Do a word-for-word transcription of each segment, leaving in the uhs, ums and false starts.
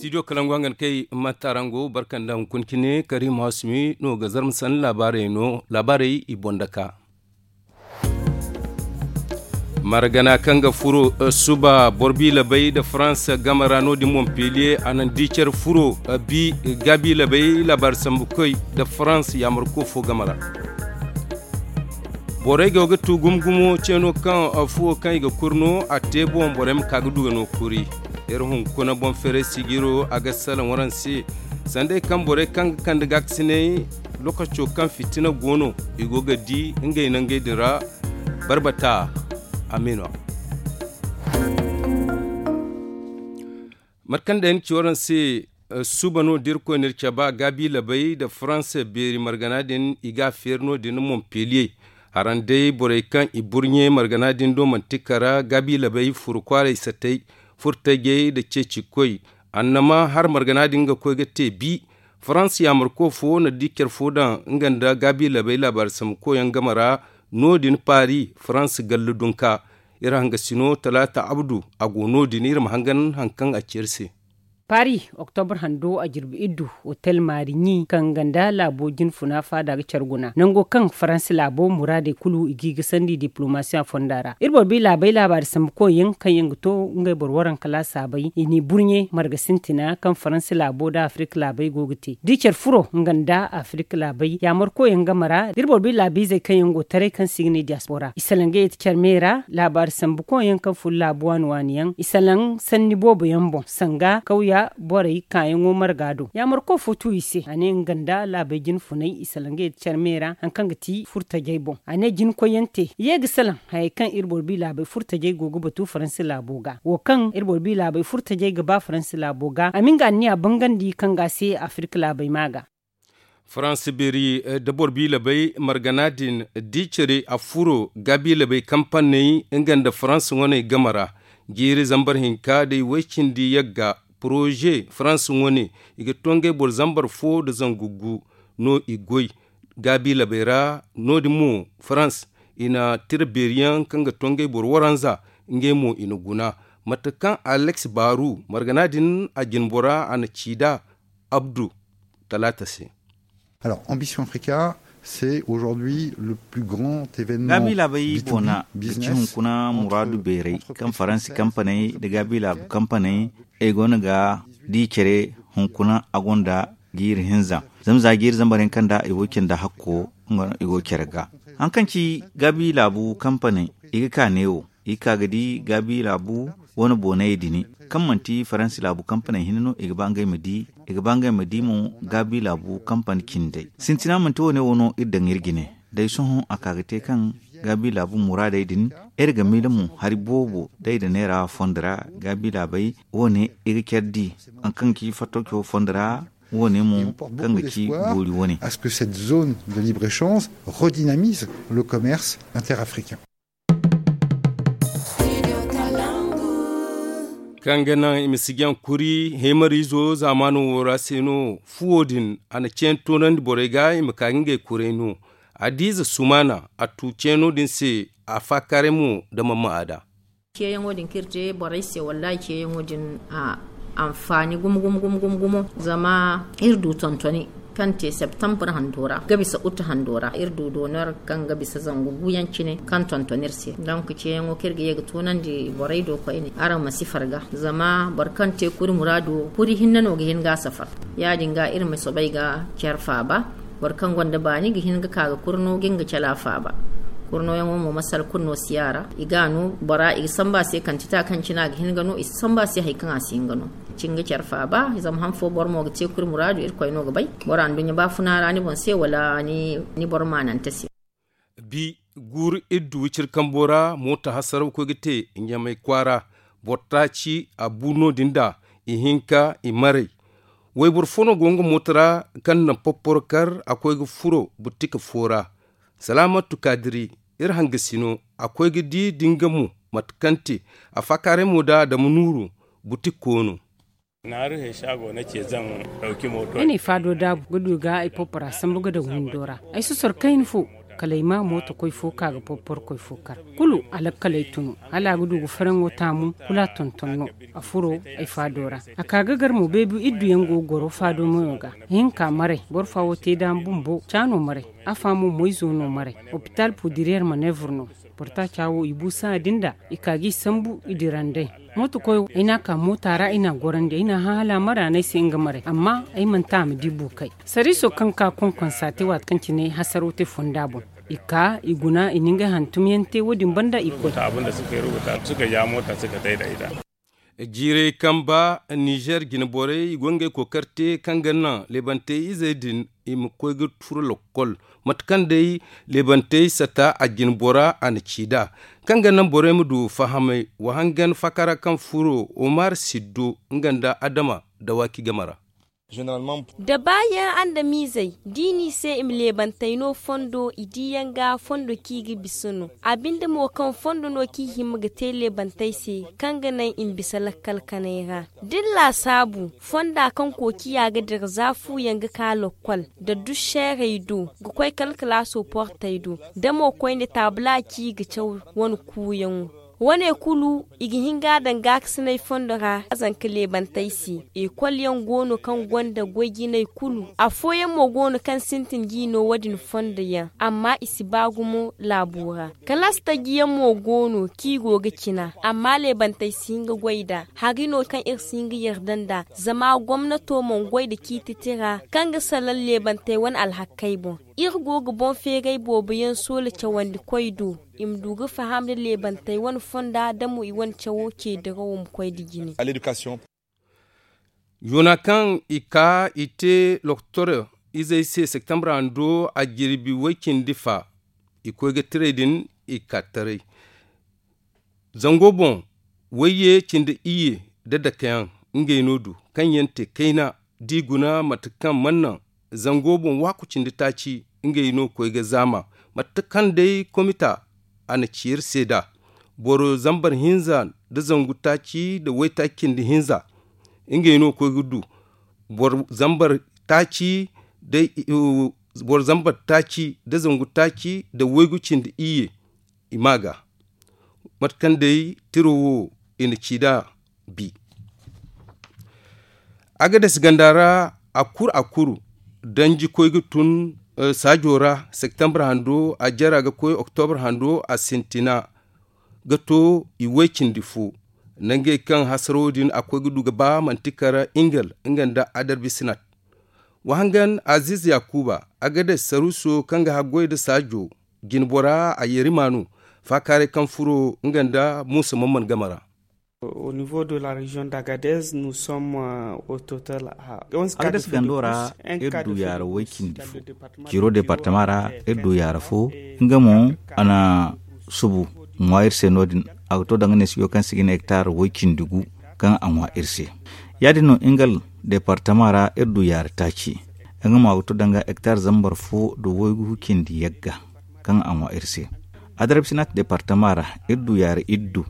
Studio kalangu hangan kay matarango barkanda hunkuna cine karim hasumi no ga zarma sanda laabaarey no laabaarey i boŋ daka. Margana kaŋ ga furo suba boro biila bay nda farans game ra no- din montpellier a naŋ di care furo bi gaabi labay laabaari sambukoy nda farans yaamarko fo game ra. Borey go ga tu gumo gumo ceeno kaŋ fuwo kaŋ i ga kuri no a te boŋ borey ma ka ga du ga no kuri. Iri hunkuna boŋ feeray sijiro a ga salaŋ waraŋ se. Sanday kaŋ borey kaŋ ga kande gaakasinay lokaco kaŋ fitina go no i go ga di ngey nangey din ra. Barbata amino. Mate kaŋ day ni ci waraŋ se suba no da irkoy na iri caba gaabi labay nda faransa beeri margana din i ga a feeri no- din montpellier. Haraŋ day borey kaŋ i burɲe margana din do manti kara gaabi labay furu kwaaray satay furtajey nda ceecikoy. Annama har margana din ga koy ga te bi faransa yaamarko fo na di care fo daŋ nga nda gaabi labay laabaari sambuko yaŋ game ra. No- din paari faransa gallu dunka. Iri hangasino talaata abdu a go no- din iri ma hangan hari kaŋ a ci iri se. Paris, oktobra hando a jirbi iddu, hotel maari ɲi kaŋ ganda laabo jinfuna faada ga care guna nango kaŋ faransa laabo muraadey kulu i g'i ga sandi diplomasiya fonda ra iri boro bi laabey laabaari sambukoy yaŋ kaŋ yaŋ ga to ngey boro waranka laasaabey i n'i burɲe marga sintina kaŋ faransa laabo nda afirika laabey go ga te da i care furo nga nda afirika laabey yaamarkoy yaŋ game ra da iri boro bi laabiizey kaŋ yaŋ go taray kaŋ se i ga ne diyaspora i salaŋ ga yeti care me ra laabaari sambukoy yaŋ kaŋ furo laabu waani waani yaŋ i salaŋ sanni boobo yaŋ boŋ sanga kawya borey kaayaŋo marga do yaamarko fo tu i se a ne nga nda laabey jinfunay i salaŋ ga yeti care me ra hari kaŋ ga ti furtajey boŋ a ne jinkoy yaŋ te i ye ga salaŋ hayey kaŋ iri boro bi laabey furtajey go ga batu faransa laabo ga wo kaŋ iri boro bi laabey furtajey ga ba faransa laabo ga a ma nga anniya bangandi kaŋ ga a se afirika laabey ma ga. Faransa beeri da boro bi labey margana din di care a furo gaabi labey kampaney nga nda faransa wane game ra jiiri zambar hinka day way cindi yagga poroze faransa wane i ga to ngey boro zambar fo nda zangu gu no i goy gaabi labey ra no- din mo farans i na tira beeri yaŋ kaŋ ga to ngey boro waranza ngey mo i na guna mate kaŋ alex baaru margana din a jinbora a na ci nd'a abdu talaata se. Alors ambition africa c'est aujourd'hui le plus grand événement gaabi laabey boona ga ci hunkuna muraadu beeray kaŋ faransi kampaney nda gaabi laabu kampaney ay go no ga di care hunkuna a gonda jiiri hinza zama za jiiri zambar yaŋ kaŋ da ay wo canda hakko nga no i go care ga hari kaŋ ci gaabi laabu kampaney i ga ka neewo i ga ka ga di gaabi laabu wane boonay din kaŋ manti faransi laabu kampaney hinne no i ga ba ngey ma di i ga ba ngey ma di mo gaabi laabu kampani cindey sintina manti wane wo no iri daŋ iri jine day sohõ a ka ga te kaŋ gaabi laabu muraadey din iri ga miila mo hari boobo day da neera fondo ra gaabi laabey wane i ga care di hari kaŋ ga ci fattoco fondo ra wane mo kaŋ ga ci boori wane. Est ce que cette zone de libre échange redynamise le commerce interafricain? Kaŋ ga naŋ i ma si jaŋ kuri heemariizo zaamaano wo ra se no fuwo din a na ceeno toonandi borey ga i ma ka ga ngey kuray no. Adiize sumaana a tu ceeno din se a faakaaray mo nda mamma a da. Ceeyaŋo din kaŋ iri te borey se wallaahi ceeyaŋo din a anfaani gumo gumo gumo gumo gumo zama iri du tontoni kaŋ te septambur hando ra ga bisa ut hando ra iri du doonor kaŋ ga bisa zangu guyaŋ cine kaŋ tonton iri se donk ceeyaŋo kaŋ iri ga ye ga toonandi borey do koyne araŋ ma si farga zama boro kaŋ te kuri muraado kuri hinne no ga hin ga a safar ya- din ga iri ma soobay ga care faaba. Boro kaŋ gonda baani ga hin ga ka ga kurno ga nga cala faaba. Kurnoyaŋo mo masal kulu no si yaara i ga a no bora i ga samba a se kantita kaŋ cine a ga hin ga no i si samba a se hari kaŋ a si hin ga no. Cinga care faaba zama han fo boro mo ga te kuri muraadu irkoy no ga bay bora nduɲɲa baafuna ra ni boŋ se wala ni boro maanante se. Bi guuru iri du wiciri kambo ra mooto hasaraw koy ga te ɲamay kwaara. Boro taaci a bu no- din da ihinka i maray. Wayboro fo no go nga mooto ra kaŋ naŋ popporo kar a koy ga furo butika fo ra. Salaamatu kaadiri iri hangasino a koy ga di da nga mo mate kaŋ te a faakaaray mo da adama nuuru butik koono. Ay n'ay faado daabu ga du ga ay poppora sambu ga daŋ windo ra. Ay sosoro kayna fo. Kala ay ma mootokoy fo ka ga porporkoy fo kar, kulu alakkaley tun no. Hala a ga du ga faraŋo taamu, kulu a tonton no. A furo ay faado ra. A ka ga gar mo beebi iddu yaŋ go ga goro faado mayo ga. Ihinka maray, boro fa wo te da bumbo caano maray. Afa mo moyzo no maray. Opital pudiriyar maneevur no. Boro taaca wo i bu sahã din da i ka ga i sambu i dira nd'ey. Mootokoyo ay n'a ka moota ra ay n'a gorandi ay n'a hã hala a mara no ay se nga maray amma ay mana ta a ma di buukay. Sariiso kaŋ ka konkonsa te waati kaŋ cine hasaro te fonda boŋ. I ka i guna i na ngey hantumyaŋ te wo- din banda i koy. Jiirey kamba nizer jine borey i go ngey kookari te kaŋ ga naŋ leebantey izey din i ma koy ga furo lokkol. Mate kaŋ day leebantey sata a jine bora a na ci nd'a kaŋ ga naŋ borey ma du fahamay wa hangan fakara kaŋ furo omar siddo nga nda adama dawaaki game ra. Da baayaŋ andamiizey da i n'i se i ma leebantey no fondo i diiyaŋ ga fondo kaŋ i ga bisa no. A binde mo kaŋ fondo no kaŋ i hima ga te leebantey se kaŋ ga naŋ i ma bisa lakkal kanay ra. Da ni laasaabu fonda kaŋ kookiya ga dira za fuuyaŋ ga ka lokkol da dušeerey do ga koy kala kalaaso portey do da mo koyne taabula kaŋ i ga caw wane kuuyaŋo. Wane kulu i ga hin ga a daŋ gaakasinay fondo ra a zanka leebantey se. Ekol yaŋ go no kaŋ gonda goy-jinay kulu. Afooyaŋ mo go no kaŋ sintin ga i no wo- din fondo yaŋ amma i si ba gumo laabo ra. Kalaasi taji yaŋ mo go no kaŋ i go ga cina amma leebantey si hin ga goy nd'a. Hari no kaŋ iri si hin ga yarda nd'a zama gomnato mana goy nda ciiti tira kaŋ ga salaŋ leebantey wane alhakkey boŋ. Iri go ga boŋ feeray boobo yaŋ soola cawandi koy do i ma du ga faham nda leebantey wane fonda da mo i wane cawo ce dirawo ma koy nda jine. Yoona kaŋ i ka i te loktor izey se septambra hando a jirbi way cindi fa. I koy ga tiray din i ka taray zango boŋ wayye cindi iyye nda dakeyaŋ ngey no du kaŋ yaŋ te kayna da i guna mate kaŋ mana naŋ zango boŋ waaku cindi taaci. Ngey no koy ga zaama mate kaŋ day komita a na ci iri se nd'a boro zambar hinza nda zangu taaci nda waytaaci cindi hinza. Ngey no koy ga du boro zambar taaci nda boro zambar taaci nda zangu taaci nda waygu cindi iyye. I ma ga mate kaŋ day tiro wo i na ci nd'a bi. Agades ganda ra a kuru a kuru danji koy ga tun saajo ra septambra hando a jara ga koy oktobre hando a sintina ga to i way cindi fo. Nangey kaŋ hasaro din a koy ga du ga ba manti kara ingal nga nda adarbisinat. Wa hangan aziz yakuba agades saruso kaŋ ga haggoy nda saajo jinbora a yeeri maanu faakaaray kaŋ furo nga nda muusa mamman game ra. Agades gando ra iri du yaara way cindi fo. Ciiro departama ra iri du yaara fo nga mo a na subu ŋwa iri se no- din. A ga to danga neesijo kaŋ se ga ne hektar way cindi gu kaŋ a ŋwa iri se. Ya- din no ingal departama ra iri du yaara taaci. Nga mo a ga to danga hektar zambar fo nda waygu cindi yagga kaŋ a ŋwa iri se. Adarbisinat departama ra iri du yaara iddu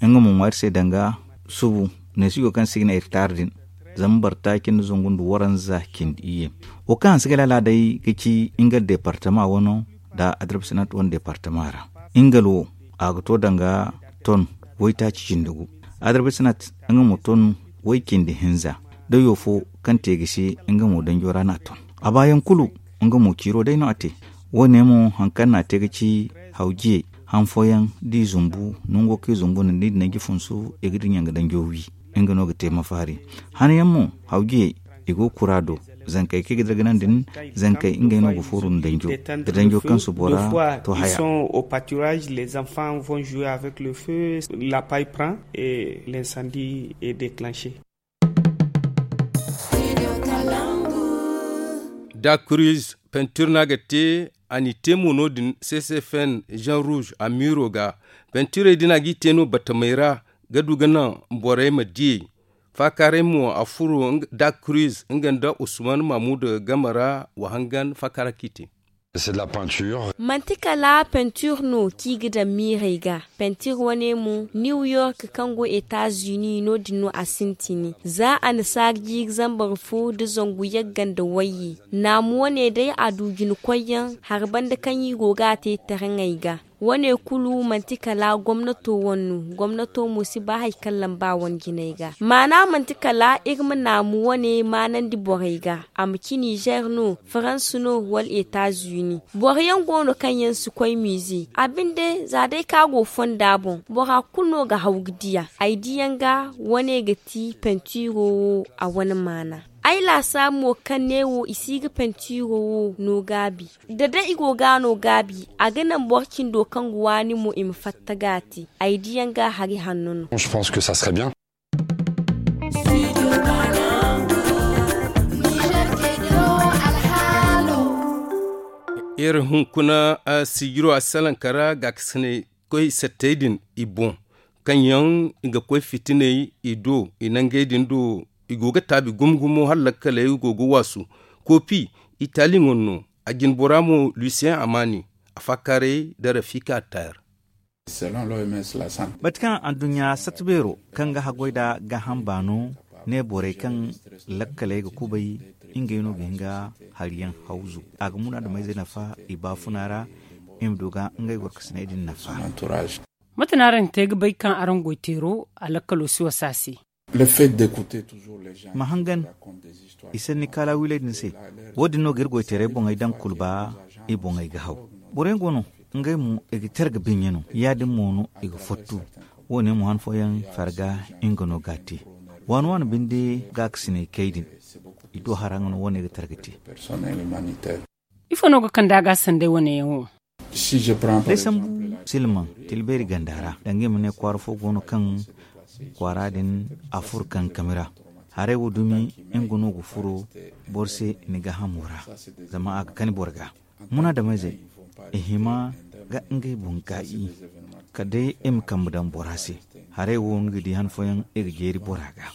nga mo ŋwa iri se danga subu neesijo kaŋ se ga ne hektar din zambar taaci nda zangu nda waranza cindi iyye. Wo kaŋ hanse ga laala day ga ci nga departama wano nda adarbisinat wane departama ra. Ingal wo a ga to danga ton waytaaci cindi gu. Adarbisinat nga mo ton way cindi hinza dayo fo kaŋ te ga se nga mo danjo ra no a ton. A baayaŋ kulu nga mo ciiro day no a te. Wo- ne mo hari kaŋ no a te ga ci hawjiyey han fooyaŋ da i zumbu nango kaŋ i zumbu nda ni din nanji funsu i ga dinya nga danjo wi. Nga no ga te mafaari han yaŋ mo hawjiyey i go ga kura do. Zankey kaŋ i ga dirganandi din zankey ngey no ga fooru nda danjo da danjo kaŋ si bora to haya. Au paturage les enfants vont jouer avec le feu. La paille prend et l'incendie est déclenché. Da kruiz pentir no a ga te a n'i te mo no- din ccfn jean rouge a miiro ga. Pentirey din a g'i te no batamey ra ga du ga naŋ borey ma diyey. Faakaaray mo a furo da kruiz nga nda usman mahmud game ra wa hangan faakaara kaŋ i te. Manti kala pentir no kaŋ i ga daŋ miirey ga. Pentir wane mo, new york kaŋ go etazuni no- din no a sintin. Za a na saara jiiri zambar fo nda zangu yagga nda wayye. Naamu wane day a du jina koyyaŋ hari banda kaŋ i go ga a te taraŋey ga. Wane kulu manti kala gomnato wane no. Gomnato mo si ba hari kaŋ lamba wane jinay ga maana manti kala iri ma naamu wane maanandi borey ga. A ma ci nizer no, farans no wala etazuni. Boro yaŋ go no kaŋ yaŋ si koy miize a binde za day kaŋ a go fonda boŋ bora kulu no ga haw ga diya. Ay diyaŋ ga wane ga ti pentiiro wo a wane maana. Ay laasaabu mo kaŋ ne wo i si ga pentiiro wo no gaabi. Da day i go ga no gaabi a ga naŋ boro cindo kaŋ ga waani mo i ma fatta ga a te. Ay diyaŋ ga hari hanno no. Iri hunkuna sijiro a salaŋ kara gaakasinay koy sattey din i boŋ kaŋ yaŋ i ga koy fitiney i do i nangey din do. I go ga taabi gumo gumo hala lakkaley go ga waasu. Koopi itali ŋwa no. A jinbora mo lusiyen amaani a faakaaray da rafika tayer. Mate kaŋ adduɲɲa satta beero kaŋ ga haggoy nd'a gaaham baano ne borey kaŋ lakkaley ga kubay ngey no ga hin ga hari yaŋ hawzu. A ga munaadameyzey nafa i baafuna ra i ma du ga ngey gorkasiney din nafa. Mate no araŋ ga te ga bay kaŋ araŋ goy teero a lakkalo si wasa a se? Ma hangan i sanni kaala wiiley din se. Wo- din no ga iri goy teerey boŋey daŋ kulu ba i boŋey ga haw. Boro yaŋ go no ngey mo i ga tere ga biɲɲe no ya- din mo no i ga fottu. Wo- ne mo han fooyaŋ farga nga no ga a te. Waani waani binde gaakasinay kay din i do hara nga no wo- ne ga tere ga te. Ifo no ga kande a ga sanday wane yaŋ wo? Day sambu silmaŋ tilbeeri ganda ra danga i ma ne kwaara fo go no kaŋ kwaara din a furo kankami ra. Haray wo dumi nga no ga furo boro se ni gaahamo ra. Zama a ga kani boro ga munaadameyzey i hima ga ngey boŋ gaayi kala day i ma kambe daŋ bora se. Haray wo ni ga di han fooyaŋ i ga jeeri bora ga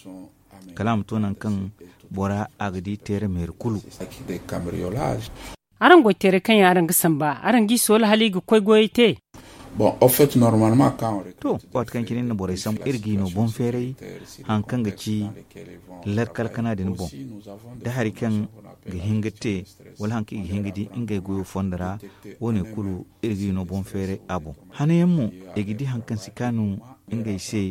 kala a ma to nangu kaŋ bora a ga di teere meeri kulu. Araŋ goy teerey kaŋ yaŋ araŋ ga samba araŋ g'i soola hala i ga koy goyey te? To, waati kaŋ cine iri na borey sambu iri g'i no boŋ feeray haŋ kaŋ ga ci larkal kana din boŋ da hari kaŋ ga hin ga te wala haŋ kaŋ i ga hin ga di ngey goyo fondo ra. Wo- ne kulu iri g'i no boŋ feeray a boŋ. Hanayaŋ mo i ga di haŋ kaŋ si kaanu ngey se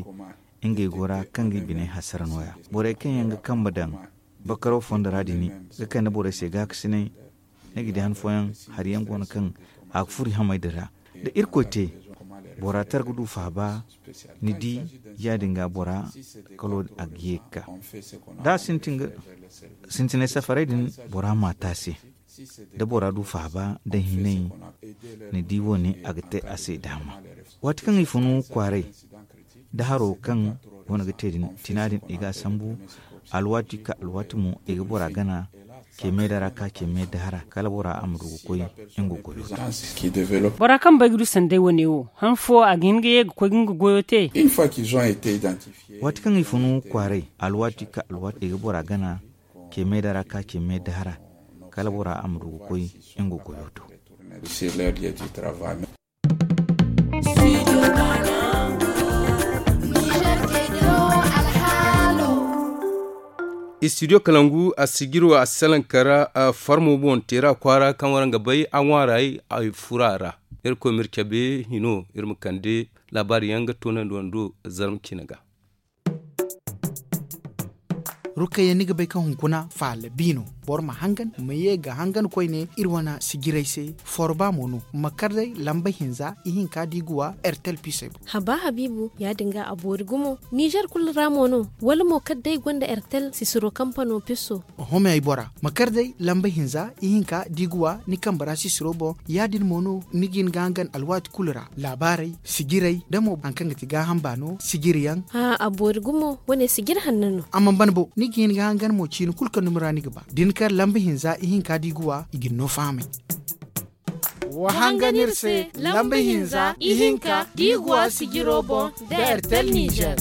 ngey go ra kaŋ ga i biney hasara nooya. Borey kaŋ yaŋ ga kambe daŋ bakaro fondo ra din ga kande borey se gaakasinay. Ni ga di han fooyaŋ hari yaŋ go no kaŋ a ga furo i hamey din ra. Da irkoy te bora tara ga du faaba ni di ya- din ga bora kalo a ga ye ga ka da a sintinay safarey din bora ma a te a se. Da bora du faaba da hinay ni di wo- ne a ga te a se daama. Waati kaŋ i funu kwaaray da haro kaŋ wane ga te din tina din i ga a sambu. Alwaati ka alwaati mo i ga bora gana ce me da ra ka ce me da hara kala bora a ma du ga koy nga goyo. Bora kaŋ bay ga du sanday wane wo han fo a ga hin ga ye ga koy ga nga goyo te? Waati kaŋ i funu kwaaray alwaati ka alwaati i ga bora gana ce me da ra ka ce me da hara kala bora a ma du ga koy nga goyo to. Studio kalangu a sijiro a salaŋ kara farmo boŋ teera kwaara kaŋ waraŋ ga bay a ŋwaaray ay fura ra. Iri koy ma iri cabe hino iri ma kande laabaari yaŋ ga toonandi wando zarma cine ga. Rukayya ni ga bay kaŋ hunkuna faala bi no. Boro ma hangan ma ye ga hangan koyne iri wane sijirey se. Forba mo no ma kar day lamba hinza ihinka da i ga wa ertel pisey boŋ. Haba habiibu ya- din ga a boori gumo nizer kulu ra mo no? Wala mo kar day gonda ertel sisiro kampano piso? Oho me ay bora ma kar day lamba hinza ihinka da i ga wa ni kambe ra sisiro boŋ. Ya- din mo no ni ga hin ga hangan alwaati kulu ra laabaarey sijirey da mo hari kaŋ ga ti gaaham baano sijiri yaŋ. A boori gumo wane sijiri hanno no. A mana ban bo ni ga hin ga hangan mo ciini kulu kaŋ dumi ra ni ga ba da ni kar lamba hinza ihinka da i ga wa i ga ni no fahamay. Wa hangan iri se lamba hinza ihinka da i ga wa sijiro boŋ da ertel nizer.